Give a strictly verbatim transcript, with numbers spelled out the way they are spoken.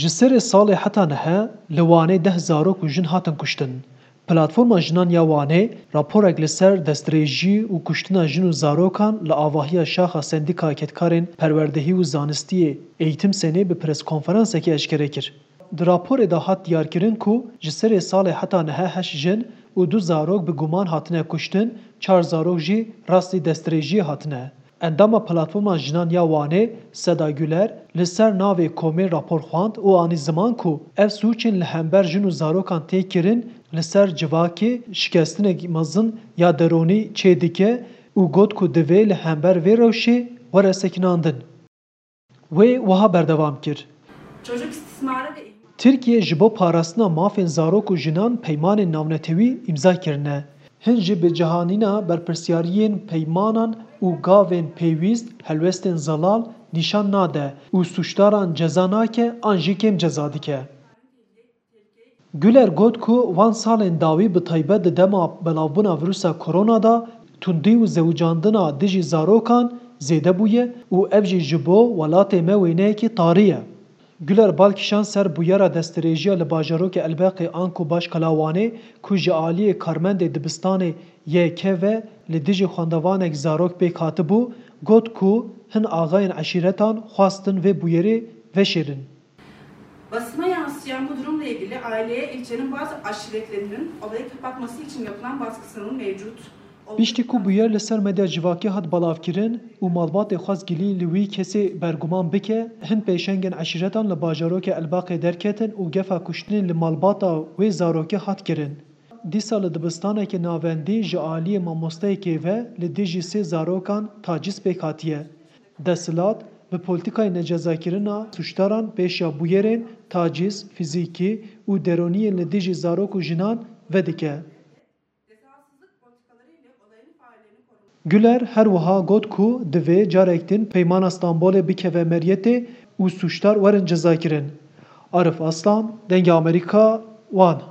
Ji serê salê heta niha li Wanê deh zarok û jin hatin kuştin. Platforma Jinan ya Wanê raporek li ser destdirêjî û kuştina jin û zarokan li avahiya şaxa Sendîkaya Kedkarên Perwerdehî û Zanistiyê, Eğitim Senê, bi preskonferansekê eşkere kir. Di raporê de hat diyarkirin ku ji serê salê heta niha heşt jin û du zarok bi guman hatine kuştin, çar zarok jî rastî destdirêjiyê hatine. Endama Platforma Jinan ya Wanê Seda Güler li ser navê komê rapor xwend û anî ziman ku ev sûcên li hember jin û zarokan tê kirin li ser civakê şikestinek mezin ya deronî çêdike û got ku divê li hember vê rewşê were sekinandin. Wê wiha berdewam kir. Çocuk istismarı ve ihmal. Tirkiye ji bo parastina mafên zarok û jinan peymanên navnetewî îmza kirine. Hin jî bi cihanîna berpirsyariyên peymanan û gavên pêwîst helwestên zelal nîşan nade û sûcdaran ceza nake an jî kêm ceza dike. Güler got ku van salên dawî, bi taybet di dema belavbûna vîrusa korona de, tundî û zewicandina dijî zarokan zêde bûye û ev jî ji bo welatê me wêneyekî tarî ye. Güler bal kişand ser bûyera destdirêjiya li bajarokê Elbeqê anku Başkala Wanê ku ji aliyê karmendê dibistanê Y K ve li dijî xwendevanek zarok pêk hatibû, got ku hin axayên eşîretan xwestin vê bûyerê veşêrin. Basına yansıyan bu durumla ilgili aileye ilçenin bazı aşiretlerinin olayı kapatması için yapılan baskısının mevcut olduğu Piştî ku bûyer li ser medya civakî hat belavkirin û malbatê xwest gilî li wî kesê berguman bike, hin pêşengên eşîretan li bajarokê Elbaqê derketin û gefa kuştinê li malbata wê zarokê hat kirin. Dîsa li dibistaneke navendî ji aliyê mamosteyekê ve li dijî sê zarokan tacîz pêk hatiye. Desthilat bi polîtîkayê necezakirina sûcdaran pêşiya bûyerên tacîz fîzîkî û deronî yên li dijî zarok û jinan vedike. Güler her wiha got ku divê carek din Peymana Stenbolê bikeve meriyetê û sûcdar werin cezakirin. Arif Aslan, Dengê Amerîka, Wan.